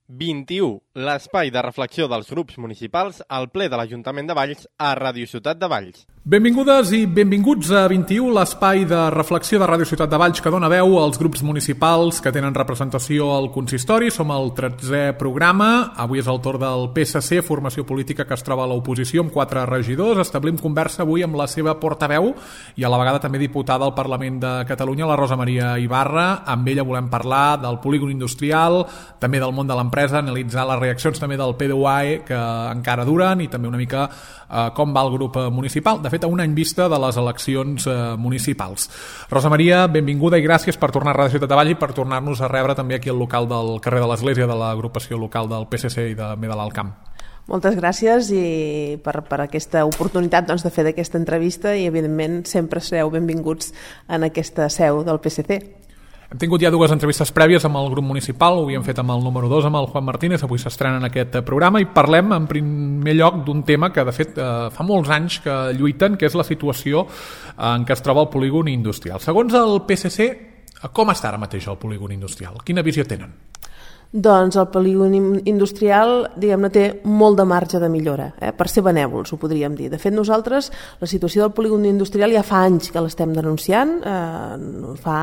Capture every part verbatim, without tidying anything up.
vint-i-u, l'espai de reflexió dels grups municipals al ple de l'Ajuntament de Valls a Ràdio Ciutat de Valls. Benvingudes i benvinguts a vint-i-u, l'espai de reflexió de Ràdio Ciutat de Valls que dona veu als grups municipals que tenen representació al consistori. Som al tretzè programa. Avui és el torn del P S C, formació política que es troba a l'oposició amb quatre regidors. Establim conversa avui amb la seva portaveu i a la vegada també diputada al Parlament de Catalunya, la Rosa Maria Ibarra. Amb ella volem parlar del polígon industrial, també del món de l'empresa, analitzar les reaccions també del P D U A E que encara duren i també una mica eh, com va el grup municipal. De fet, a un any vista de les eleccions eh, municipals. Rosa Maria, benvinguda i gràcies per tornar a Ràdio Ciutat de Valls i per tornar-nos a rebre també aquí al local del carrer de l'Església de l'agrupació local del P S C i de, de l'Alt Camp. Moltes gràcies i per, per aquesta oportunitat doncs, de fer d'aquesta entrevista i evidentment sempre sereu benvinguts en aquesta seu del P S C. Hem tingut ja dues entrevistes prèvies amb el grup municipal, ho havíem fet amb el número dos, amb el Juan Martínez, avui s'estrena en aquest programa i parlem en primer lloc d'un tema que de fet eh, fa molts anys que lluiten, que és la situació en què es troba el polígon industrial. Segons el P S C, com està ara mateix el polígon industrial? Quina visió tenen? Doncs el polígon industrial, diguem-ne, té molt de marge de millora, eh? Per ser benèvols, ho podríem dir. De fet, nosaltres, la situació del polígon industrial ja fa anys que l'estem denunciant, eh, fa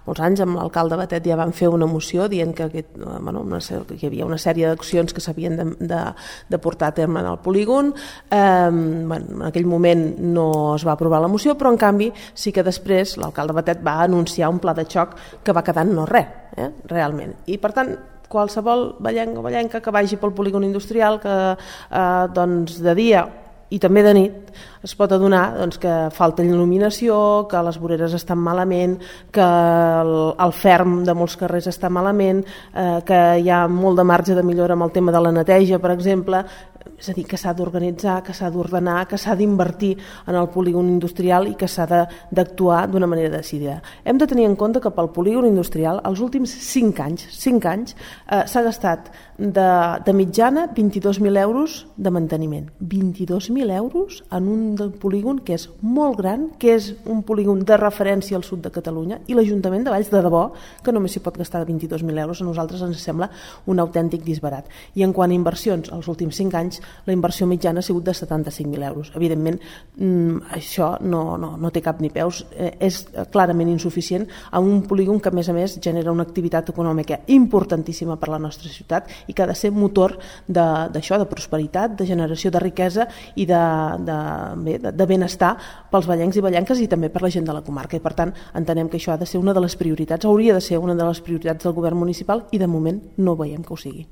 molts anys amb l'alcalde Batet ja van fer una moció dient que, aquest, bueno, una, que hi havia una sèrie d'accions que s'havien de, de, de portar a terme en el polígon. Eh, bueno, en aquell moment no es va aprovar la moció, però en canvi sí que després l'alcalde Batet va anunciar un pla de xoc que va quedar en no res, eh? Realment. I per tant, qualsevol vallenc o vallenca que vagi pel polígon industrial que eh, doncs de dia i també de nit es pot adonar doncs, que falta il·luminació, que les voreres estan malament, que el, el ferm de molts carrers està malament, eh, que hi ha molt de marge de millora amb el tema de la neteja, per exemple. És a dir, que s'ha d'organitzar, que s'ha d'ordenar, que s'ha d'invertir en el polígon industrial i que s'ha d'actuar d'una manera decidida. Hem de tenir en compte que pel polígon industrial els últims cinc anys, cinc anys eh, s'ha gastat de, de mitjana vint-i-dos mil euros de manteniment. vint-i-dos mil euros en un polígon que és molt gran, que és un polígon de referència al sud de Catalunya, i l'Ajuntament de Valls, de debò, que només s'hi pot gastar vint-i-dos mil euros, a nosaltres ens sembla un autèntic disbarat. I en quant a inversions, els últims cinc anys la inversió mitjana ha sigut de setanta-cinc mil euros. Evidentment, això no, no, no té cap ni peus, és clarament insuficient a un polígon que a més a més genera una activitat econòmica importantíssima per a la nostra ciutat i que ha de ser motor d'això, de, de prosperitat, de generació de riquesa i de, de, bé, de, de benestar pels vallencs i vallenques i també per la gent de la comarca. I per tant, entenem que això ha de ser una de les prioritats, hauria de ser una de les prioritats del govern municipal i de moment no veiem que ho sigui.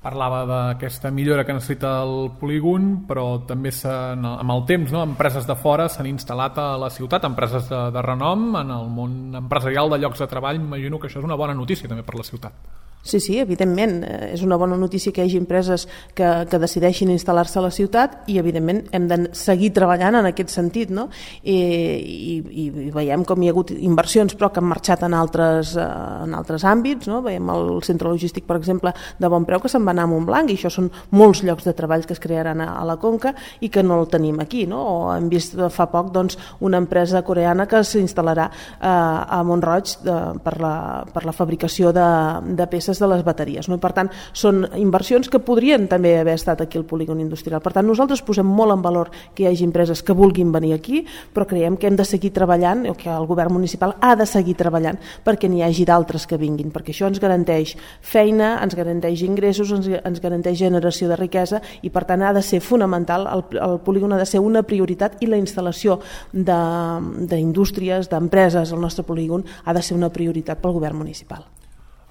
Parlava d'aquesta millora que necessita el polígon, però també amb el temps, no? Empreses de fora s'han instal·lat a la ciutat, empreses de, de renom en el món empresarial de llocs de treball. M'imagino que això és una bona notícia també per la ciutat. Sí, sí, evidentment, és una bona notícia que hi hagi empreses que, que decideixin instal·lar-se a la ciutat i evidentment hem de seguir treballant en aquest sentit, no? I, i, i veiem com hi ha hagut inversions però que han marxat en altres, en altres àmbits, no? Veiem el centre logístic, per exemple, de Bonpreu que se'n va anar a Montblanc i això són molts llocs de treball que es crearan a, a la Conca i que no el tenim aquí, no? O hem vist fa poc doncs, una empresa coreana que s'instal·larà eh, a Mont-roig de, per, la, per la fabricació de, de peces de les bateries, no? I per tant són inversions que podrien també haver estat aquí al polígon industrial. Per tant, nosaltres posem molt en valor que hi hagi empreses que vulguin venir aquí, però creiem que hem de seguir treballant, o que el govern municipal ha de seguir treballant perquè n'hi hagi d'altres que vinguin, perquè això ens garanteix feina, ens garanteix ingressos, ens, ens garanteix generació de riquesa i per tant ha de ser fonamental, el, el polígon ha de ser una prioritat i la instal·lació d'indústries, de, d'empreses al nostre polígon ha de ser una prioritat pel govern municipal.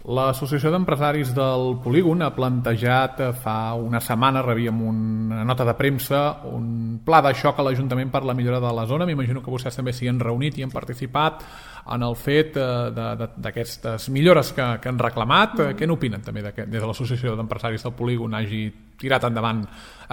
L'Associació d'Empresaris del Polígon ha plantejat fa una setmana, rebíem una nota de premsa, un pla de xoc a l'Ajuntament per la millora de la zona. M'imagino que vostès també s'hi han reunit i han participat en el fet d'aquestes millores que, que han reclamat. Mm. Què n'opinen també des de l'Associació d'Empresaris del Polígon hagi tirat endavant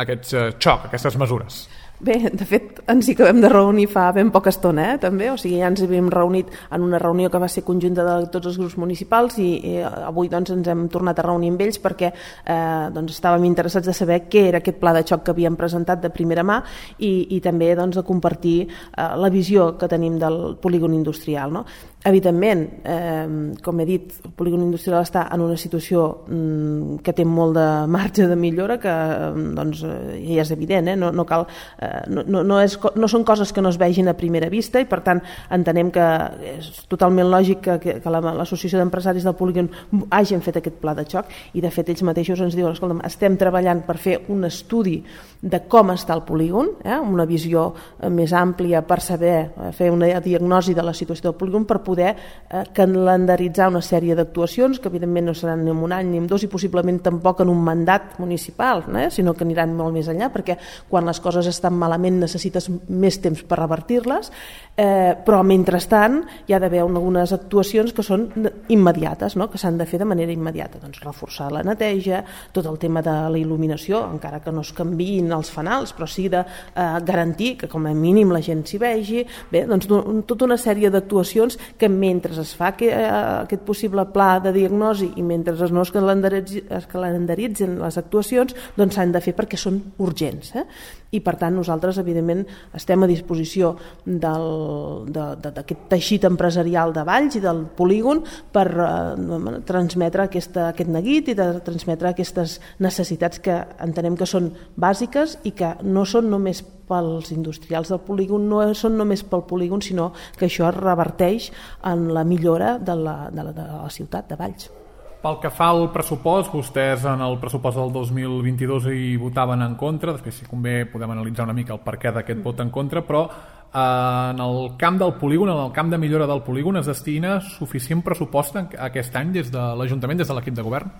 aquest xoc, aquestes mesures? Bé, de fet, ens hi acabem de reunir fa ben poca estona, eh, també, o sigui, ja ens havíem reunit en una reunió que va ser conjunta de tots els grups municipals i, i avui doncs, ens hem tornat a reunir amb ells perquè eh, doncs, estàvem interessats de saber què era aquest pla de xoc que havíem presentat de primera mà i, i també doncs, de compartir eh, la visió que tenim del polígon industrial, no? Evidentment, eh, com he dit, el polígon industrial està en una situació mm, que té molt de marge de millora, que doncs, ja és evident, eh? no, no, cal, eh, no, no, no, és, no són coses que no es vegin a primera vista i per tant entenem que és totalment lògic que, que l'Associació d'Empresaris del Polígon hagin fet aquest pla de xoc i de fet ells mateixos ens diuen, escolta'm, estem treballant per fer un estudi de com està el polígon, eh? una visió més àmplia per saber, fer una diagnosi de la situació del polígon per poder eh, calendaritzar una sèrie d'actuacions que evidentment no seran ni en un any ni en dos i possiblement tampoc en un mandat municipal, eh? sinó que aniran molt més enllà perquè quan les coses estan malament necessites més temps per revertir-les, eh, però mentrestant hi ha d'haver algunes actuacions que són immediates, no? que s'han de fer de manera immediata, doncs reforçar la neteja, tot el tema de la il·luminació, encara que no es canviïn els fanals, però sí de eh, garantir que com a mínim la gent s'hi vegi, bé, doncs tota una sèrie d'actuacions que mentre es fa que, eh, aquest possible pla de diagnosi i mentre no es, calendaritzi, es calendaritzen les actuacions, doncs s'han de fer perquè són urgents. Eh? I per tant nosaltres evidentment estem a disposició d'aquest teixit empresarial de Valls i del polígon per eh, transmetre aquesta, aquest neguit i de transmetre aquestes necessitats que entenem que són bàsiques i que no són només pels industrials del polígon, no són només pel polígon, sinó que això es reverteix en la millora de la, de la, de la ciutat de Valls. Pel que fa al pressupost, vostès en el pressupost del dos mil vint-i-dos hi votaven en contra, després si convé podem analitzar una mica el perquè d'aquest vot en contra, però eh, en el camp del polígon, en el camp de millora del polígon es destina suficient pressupost aquest any des de l'Ajuntament, des de l'equip de govern?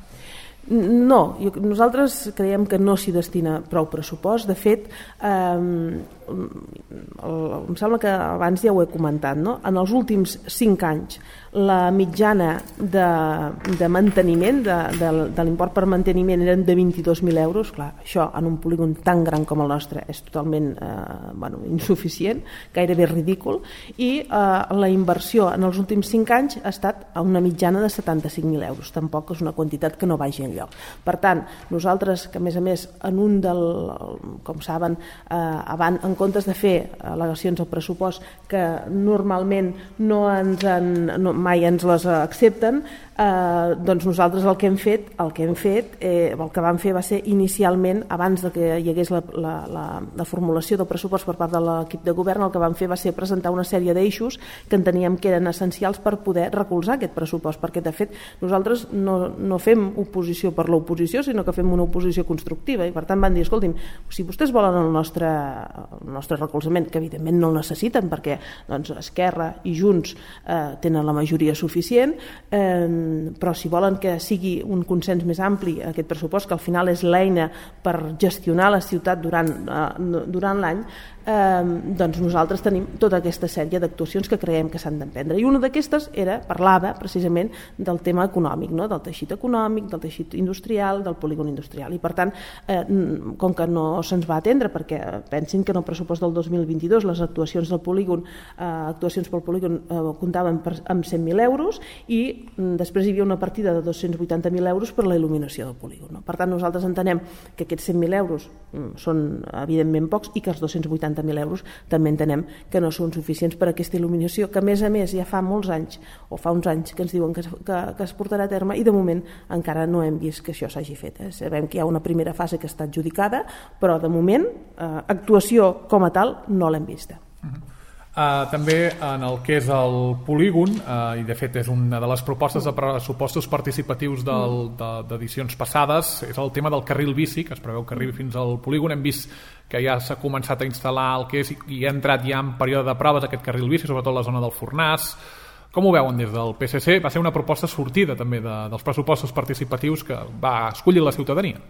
No, nosaltres creiem que no s'hi destina prou pressupost. De fet, eh, em sembla que abans ja ho he comentat, no? En els últims cinc anys la mitjana de, de manteniment de, de, de l'import per manteniment eren de vint-i-dos mil euros. Clar, això en un polígon tan gran com el nostre és totalment eh, bueno, insuficient, gairebé ridícul, i eh, la inversió en els últims cinc anys ha estat a una mitjana de setanta-cinc mil euros. Tampoc és una quantitat que no vagi enlloc. Per tant, nosaltres, que a més a més en un del, com saben, eh, abans, en comptes de fer al·legacions al pressupost que normalment no ens han, no, mai ens les accepten, eh, doncs nosaltres el que hem fet, el que hem fet, eh, el que vam fer va ser inicialment, abans de que hi hagués la, la, la, la formulació del pressupost per part de l'equip de govern, el que vam fer va ser presentar una sèrie d'eixos que enteníem que eren essencials per poder recolzar aquest pressupost, perquè de fet nosaltres no, no fem oposició per l'oposició, sinó que fem una oposició constructiva i per tant van dir, escolti'm, si vostès volen el nostre, el nostre recolzament, que evidentment no el necessiten perquè doncs, Esquerra i Junts eh, tenen la majoria suficient, eh, però si volen que sigui un consens més ampli aquest pressupost, que al final és l'eina per gestionar la ciutat durant, eh, durant l'any, eh, doncs nosaltres tenim tota aquesta sèrie d'actuacions que creiem que s'han d'emprendre. I una d'aquestes era, parlava precisament del tema econòmic, no? Del teixit econòmic, del teixit industrial, del polígon industrial. I per tant, eh, com que no se'ns va atendre, perquè pensin que en el pressupost del dos mil vint-i-dos les actuacions del polígon, eh, actuacions pel polígon eh, comptaven per, amb cent mil euros i mm, després hi havia una partida de dos-cents vuitanta mil euros per la il·luminació del polígon. No? Per tant, nosaltres entenem que aquests cent mil euros mm, són evidentment pocs i que els dos-cents vuitanta mil euros també entenem que no són suficients per a aquesta il·luminació, que a més a més ja fa molts anys o fa uns anys que ens diuen que es, que, que es portarà a terme i de moment encara no hem vist que això s'hagi fet. Eh? Sabem que hi ha una primera fase que està adjudicada, però de moment eh, actuació com a tal no l'hem vista. Uh-huh. Uh, també en el que és el polígon, uh, i de fet és una de les propostes de pressupostos participatius del, de, d'edicions passades, és el tema del carril bici, que es preveu que arribi fins al polígon. Hem vist que ja s'ha començat a instal·lar el que és i ha entrat ja en període de proves aquest carril bici, sobretot a la zona del Fornàs. Com ho veuen des del P S C? Va ser una proposta sortida també de, dels pressupostos participatius que va escollir la ciutadania.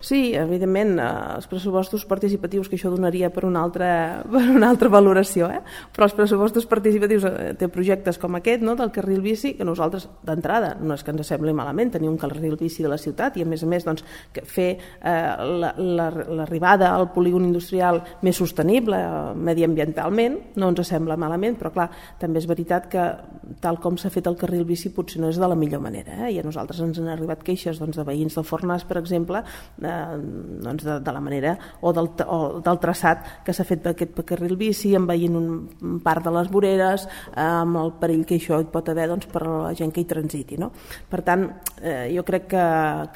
Sí, evidentment, els pressupostos participatius, que això donaria per una altra, per una altra valoració, eh? Però els pressupostos participatius té projectes com aquest, no?, del carril bici, que nosaltres d'entrada no és que ens sembli malament tenir un carril bici de la ciutat i a més a més doncs, que fer eh, l'arribada la, la, al polígon industrial més sostenible eh, mediambientalment no ens sembla malament, però clar, també és veritat que tal com s'ha fet el carril bici potser no és de la millor manera, eh? I a nosaltres ens han arribat queixes doncs, de veïns del Fornàs, per exemple, eh, doncs de, de la manera o del, o del traçat que s'ha fet d'aquest carril bici, envaint un part de les voreres, eh, amb el perill que això hi pot haver doncs, per a la gent que hi transiti, no? Per tant, eh, jo crec que,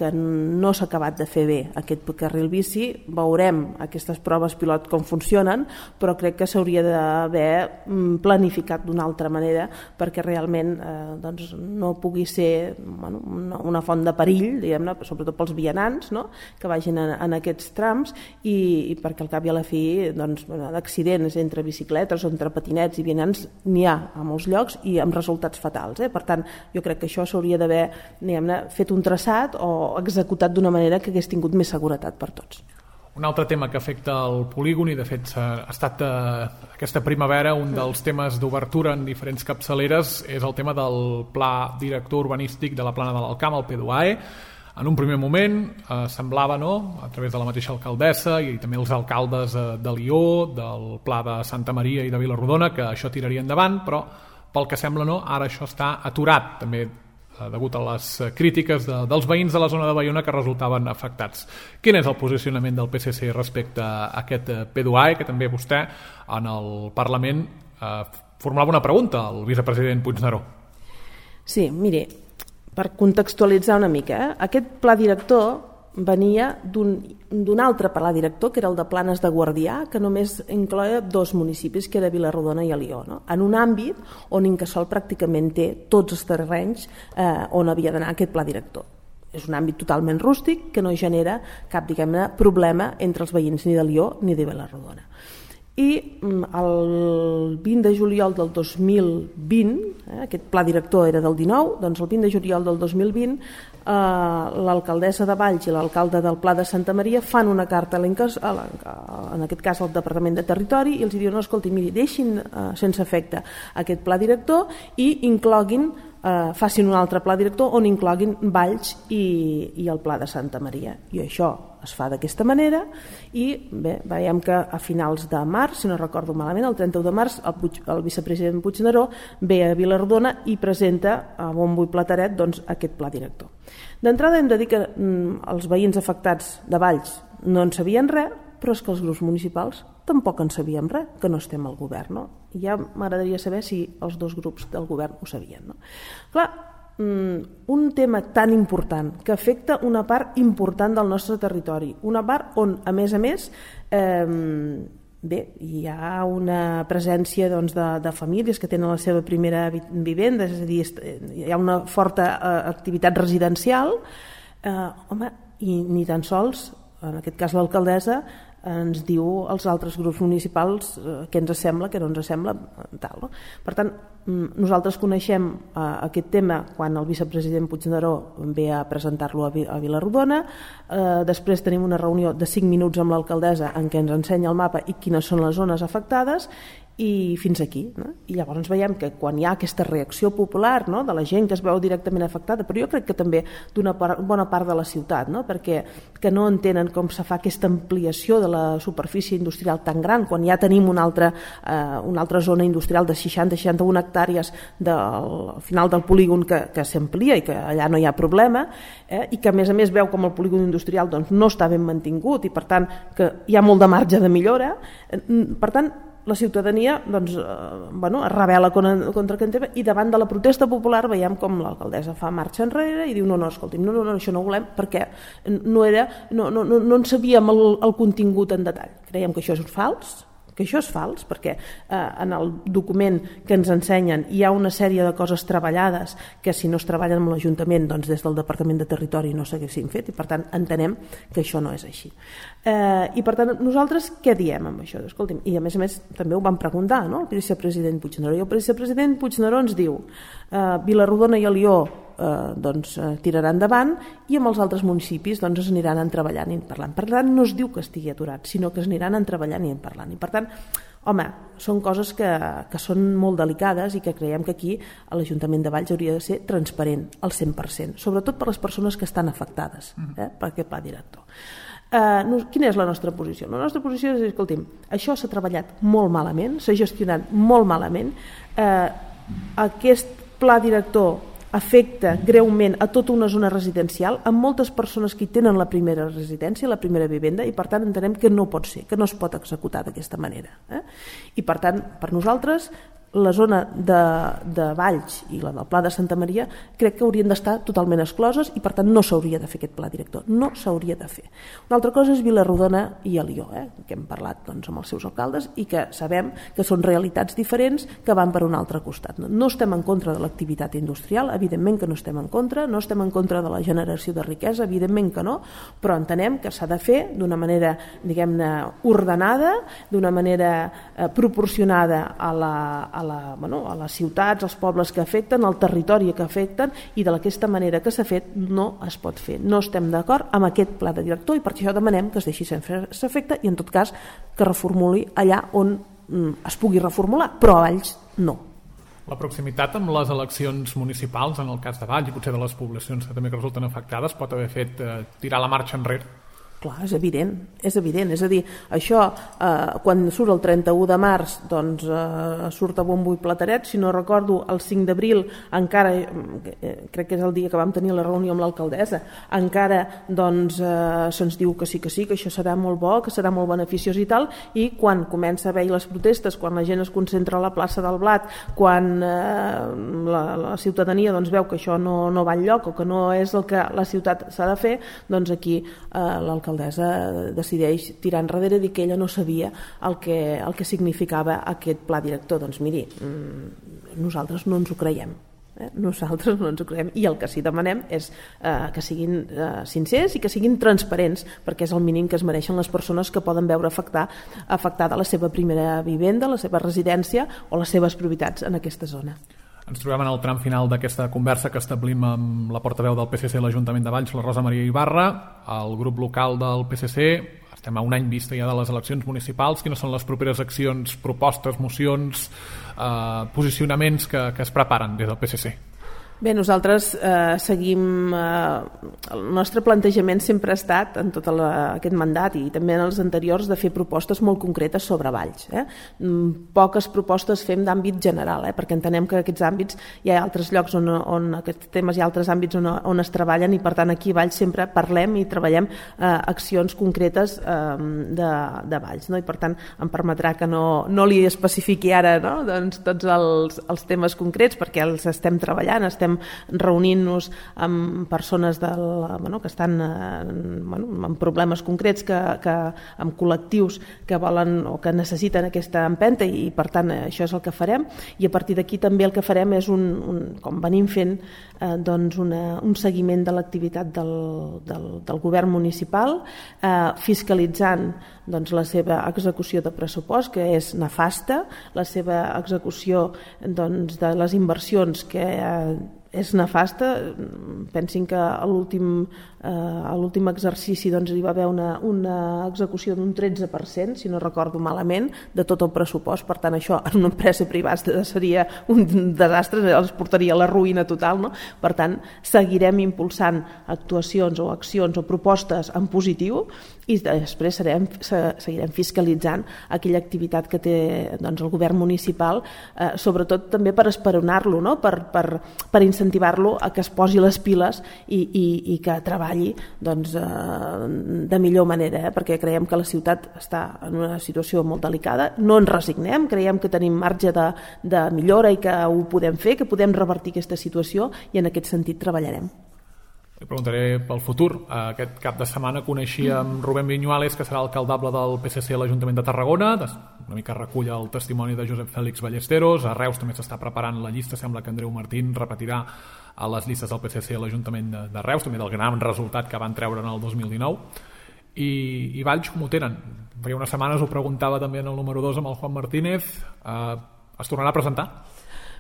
que no s'ha acabat de fer bé aquest carril bici, veurem aquestes proves pilot com funcionen, però crec que s'hauria d'haver planificat d'una altra manera perquè realment eh, doncs, no pugui ser bueno, una, una font de perill, diguem-ne, sobretot pels vianants, no?, que vagin en, en aquests trams i, i perquè al cap i a la fi doncs, d'accidents entre bicicletes o entre patinets i vianants n'hi ha a molts llocs i amb resultats fatals, eh? Per tant, jo crec que això s'hauria d'haver fet un traçat o executat d'una manera que hagués tingut més seguretat per tots. Un altre tema que afecta el polígon i de fet ha estat eh, aquesta primavera un dels temes d'obertura en diferents capçaleres és el tema del pla director urbanístic de la plana de l'Alcamp, el P D U A E. En un primer moment eh, semblava, no?, a través de la mateixa alcaldessa i també els alcaldes eh, de Lió, del Pla de Santa Maria i de Vilarrodona, que això tiraria endavant, però pel que sembla, no, ara això està aturat, també eh, degut a les crítiques de, dels veïns de la zona de Baiona que resultaven afectats. Quin és el posicionament del P S C respecte a aquest P D U A E, que també vostè en el Parlament eh, formulava una pregunta al vicepresident Puigneró? Sí, mire, per contextualitzar una mica, eh? Aquest pla director venia d'un altre pla director, que era el de Planes de Guardià, que només incloia dos municipis, que era Vilarrodona i Alió, no? En un àmbit on Incasòl pràcticament té tots els terrenys eh, on havia d'anar aquest pla director. És un àmbit totalment rústic que no genera cap, diguem-ne, problema entre els veïns ni de Lió ni de Vilarrodona. I el vint de juliol del dos mil vint, eh, aquest pla director era del dinou, doncs el vint de juliol del dos mil vint eh, l'alcaldessa de Valls i l'alcalde del Pla de Santa Maria fan una carta a en aquest cas al Departament de Territori i els diuen, no, escolti, miri, deixin eh, sense efecte aquest pla director i incloguin eh, facin un altre pla director on incloguin Valls i, i el Pla de Santa Maria. I això es fa d'aquesta manera i bé, veiem que a finals de març, si no recordo malament, el trenta-u de març, el, Puig, el vicepresident Puigneró ve a Vilarrodona i presenta a bombo i plateret doncs, aquest pla director. D'entrada hem de dir que mm, els veïns afectats de Valls no en sabien res, però és que els grups municipals tampoc en sabíem res, que no estem al govern. No? I ja m'agradaria saber si els dos grups del govern ho sabien. No? Clar, un tema tan important que afecta una part important del nostre territori, una part on, a més a més, eh, bé, hi ha una presència doncs, de, de famílies que tenen la seva primera vivenda, és a dir, hi ha una forta eh, activitat residencial, eh, home, i ni tan sols, en aquest cas l'alcaldessa, ens diu als altres grups municipals eh, què ens sembla, què no ens sembla, tal. No? Per tant, nosaltres coneixem eh, aquest tema quan el vicepresident Puigneró ve a presentar-lo a, a Vilarrodona, eh, després tenim una reunió de cinc minuts amb l'alcaldessa en què ens ensenya el mapa i quines són les zones afectades i fins aquí. No? I llavors veiem que quan hi ha aquesta reacció popular, no? De la gent que es veu directament afectada, però jo crec que també d'una bona part de la ciutat, no? Perquè que no entenen com se fa aquesta ampliació de la superfície industrial tan gran quan ja tenim una altra, eh, una altra zona industrial de seixanta a seixanta-una hectàrees del, al final del polígon que, que s'amplia i que allà no hi ha problema, eh? I que a més a més veu com el polígon industrial doncs, no està ben mantingut i per tant que hi ha molt de marge de millora. Per tant, la ciutadania doncs, eh, bueno, es rebel·la contra, contra aquest tema i davant de la protesta popular veiem com l'alcaldessa fa marxa enrere i diu no, no, escolti'm, no, no, no, això no ho volem perquè no, era, no, no, no, no en sabíem el, el contingut en detall. Creiem que això és fals, que això és fals perquè eh, en el document que ens ensenyen hi ha una sèrie de coses treballades que si no es treballen amb l'Ajuntament doncs des del Departament de Territori no s'haguessin fet i per tant entenem que això no és així. Eh, I per tant nosaltres què diem amb això? Escolti'm, i a més a més també ho vam preguntar, no? El vicepresident Puigneró i el vicepresident Puigneró ens diu eh, Vilarrodona i Alió eh, doncs, eh, tirarà endavant i amb els altres municipis doncs, es aniran treballant i parlant. Per tant, no es diu que estigui aturat, sinó que es aniran treballant i parlant. I per tant, home, són coses que, que són molt delicades i que creiem que aquí l'Ajuntament de Valls hauria de ser transparent al cent per cent, sobretot per les persones que estan afectades eh, per aquest pla director. Uh, quina és la nostra posició? La nostra posició és, escolti'm, això s'ha treballat molt malament, s'ha gestionat molt malament, uh, aquest pla director afecta greument a tota una zona residencial amb moltes persones que hi tenen la primera residència, la primera vivenda, i per tant entenem que no pot ser, que no es pot executar d'aquesta manera. Eh? I per tant, per nosaltres, la zona de, de Valls i la del Pla de Santa Maria crec que haurien d'estar totalment excloses i per tant no s'hauria de fer aquest pla director, no s'hauria de fer. Una altra cosa és Vilarrodona i Alió, eh, que hem parlat doncs, amb els seus alcaldes i que sabem que són realitats diferents que van per un altre costat. No, no estem en contra de l'activitat industrial, evidentment que no estem en contra, no estem en contra de la generació de riquesa, evidentment que no, però entenem que s'ha de fer d'una manera, diguem-ne, ordenada, d'una manera eh, proporcionada a la, a La, bueno, a les ciutats, als pobles que afecten, al territori que afecten, i d'aquesta manera que s'ha fet no es pot fer. No estem d'acord amb aquest pla de director i per això demanem que es deixi sense efecte i en tot cas que reformuli allà on mm, es pugui reformular, però a Valls no. La proximitat amb les eleccions municipals, en el cas de Valls i potser de les poblacions que també que resulten afectades, pot haver fet eh, tirar la marxa enrere? Clar, és evident, és evident, és a dir, això eh, quan surt el trenta-u de març doncs eh, surt a bombo i plateret, si no recordo el cinc d'abril encara, eh, crec que és el dia que vam tenir la reunió amb l'alcaldessa, encara doncs eh, se'ns diu que sí que sí, que això serà molt bo, que serà molt beneficiós i tal, i quan comença a haver les protestes, quan la gent es concentra a la plaça del Blat, quan eh, la, la ciutadania doncs, veu que això no, no va enlloc o que no és el que la ciutat s'ha de fer, doncs aquí eh, l'alcaldessa decideix tirar enrere i dir que ella no sabia el que, el que significava aquest pla director. Doncs miri, nosaltres no ens ho creiem. Eh? Nosaltres no ens ho creiem i el que sí demanem és eh, que siguin eh, sincers i que siguin transparents, perquè és el mínim que es mereixen les persones que poden veure afectar, afectada la seva primera vivenda, la seva residència o les seves propietats en aquesta zona. Ens trobem en el tram final d'aquesta conversa que establim amb la portaveu del P S C a l'Ajuntament de Valls, la Rosa Maria Ibarra, el grup local del P S C. Estem a un any vista ja de les eleccions municipals. Quines són les properes accions, propostes, mocions, eh, posicionaments que, que es preparen des del P S C? Bé, nosaltres eh, seguim... Eh, el nostre plantejament sempre ha estat, en tot la, aquest mandat i també en els anteriors, de fer propostes molt concretes sobre Valls. Eh? Poques propostes fem d'àmbit general, eh? perquè entenem que aquests àmbits hi ha altres llocs on, on aquests temes hi ha altres àmbits on, on es treballen i per tant aquí a Valls sempre parlem i treballem eh, accions concretes eh, de, de Valls. No? I per tant em permetrà que no, no li especifiqui ara no? doncs, tots els, els temes concrets perquè els estem treballant, estem reunint-nos amb persones del, bueno, que estan bueno, amb problemes concrets, que, que, amb col·lectius que volen o que necessiten aquesta empenta i per tant això és el que farem i a partir d'aquí també el que farem és un, un com venim fent eh, doncs una, un seguiment de l'activitat del, del, del govern municipal eh, fiscalitzant doncs, la seva execució de pressupost que és nefasta, la seva execució doncs, de les inversions que eh, és nefasta. Pensin que a l'últim eh, a l'últim exercici doncs, hi va haver una, una execució d'un tretze per cent, si no recordo malament, de tot el pressupost. Per tant, això en una empresa privada seria un desastre, els portaria a la ruïna total. No? Per tant, seguirem impulsant actuacions o accions o propostes en positiu i després serem, seguirem fiscalitzant aquella activitat que té doncs, el govern municipal, eh, sobretot també per esperonar-lo, no? per, per, per incentivar-lo a que es posi les piles i, i, i que treballi doncs, eh, de millor manera, eh? perquè creiem que la ciutat està en una situació molt delicada, no ens resignem, creiem que tenim marge de, de millora i que ho podem fer, que podem revertir aquesta situació i en aquest sentit treballarem. Li preguntaré pel futur. Aquest cap de setmana coneixíem Rubén Viñuales, que serà alcaldable del P S C a l'Ajuntament de Tarragona. Una mica recull el testimoni de Josep Fèlix Ballesteros. A Reus també s'està preparant la llista. Sembla que Andreu Martín repetirà a les llistes del P S C a l'Ajuntament de Reus, també del gran resultat que van treure en el dos mil dinou. I, i Valls, com ho tenen? Feia unes setmanes ho preguntava també en el número dos amb el Juan Martínez. Eh, es tornarà a presentar?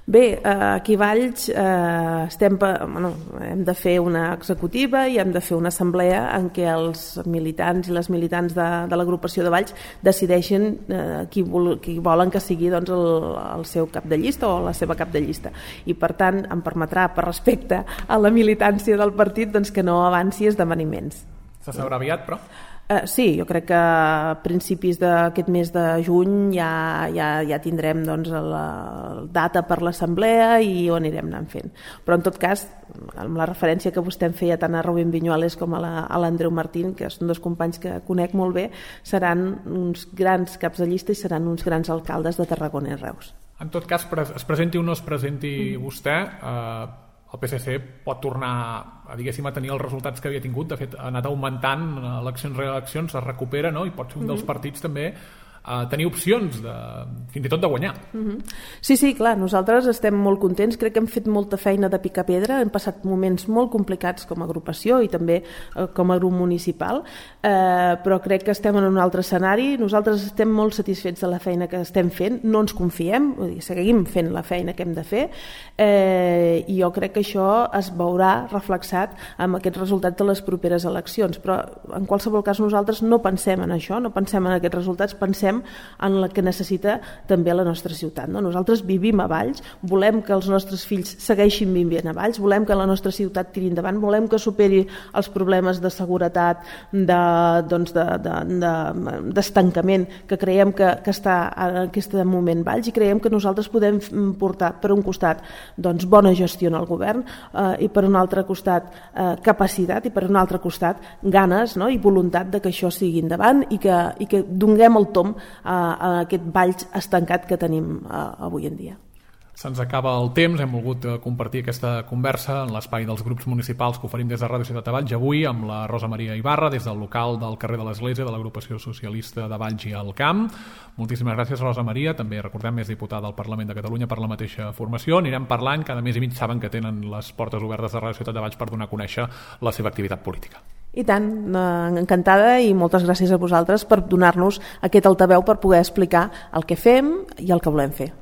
Bé, aquí a Valls eh, estem, bueno, hem de fer una executiva i hem de fer una assemblea en què els militants i les militants de, de l'agrupació de Valls decideixen eh, qui, vol, qui volen que sigui doncs, el, el seu cap de llista o la seva cap de llista. I per tant em permetrà, per respecte a la militància del partit, doncs, que no avanci esdeveniments. Se sabrà aviat, però? Uh, sí, jo crec que a principis d'aquest mes de juny ja, ja, ja tindrem doncs, la data per l'assemblea i ho anirem anant fent. Però en tot cas, amb la referència que vostè em feia tant a Rubén Viñuales com a l'Andreu Martín, que són dos companys que conec molt bé, seran uns grans caps de llista i seran uns grans alcaldes de Tarragona i Reus. En tot cas, es presenti o no es presenti mm. vostè, eh, el P S C pot tornar a, diguéssim, a tenir els resultats que havia tingut. De fet, ha anat augmentant eleccions rere eleccions, es recupera, no? I pot ser un dels partits també a tenir opcions de, fins i tot de guanyar. Mm-hmm. Sí, sí, clar, nosaltres estem molt contents, crec que hem fet molta feina de picar pedra, hem passat moments molt complicats com a agrupació i també eh, com a grup municipal, eh, però crec que estem en un altre escenari, nosaltres estem molt satisfets de la feina que estem fent, no ens confiem, vull dir, seguim fent la feina que hem de fer, eh, i jo crec que això es veurà reflexat amb aquests resultats de les properes eleccions, però en qualsevol cas nosaltres no pensem en això, no pensem en aquests resultats, pensem en la que necessita també la nostra ciutat. No? Nosaltres vivim a Valls, volem que els nostres fills segueixin vivint a Valls, volem que la nostra ciutat tiri endavant, volem que superi els problemes de seguretat, de, doncs de, de, de, d'estancament que creiem que, que està en aquest moment Valls, i creiem que nosaltres podem portar per un costat doncs, bona gestió en el govern eh, i per un altre costat eh, capacitat i per un altre costat ganes, no? I voluntat de que això sigui endavant i que, i que donem el tomb a, a aquest Valls estancat que tenim a, avui en dia. Se'ns acaba el temps, hem volgut compartir aquesta conversa en l'espai dels grups municipals que oferim des de Ràdio Ciutat de Valls, avui amb la Rosa Maria Ibarra, des del local del carrer de l'Església de l'Agrupació Socialista de Valls i el Camp. Moltíssimes gràcies, Rosa Maria. També recordem, és diputada del Parlament de Catalunya per la mateixa formació. Anirem parlant, cada mes i mig saben que tenen les portes obertes de Ràdio Ciutat de Valls per donar a conèixer la seva activitat política. I tant, encantada, i moltes gràcies a vosaltres per donar-nos aquest altaveu per poder explicar el que fem i el que volem fer.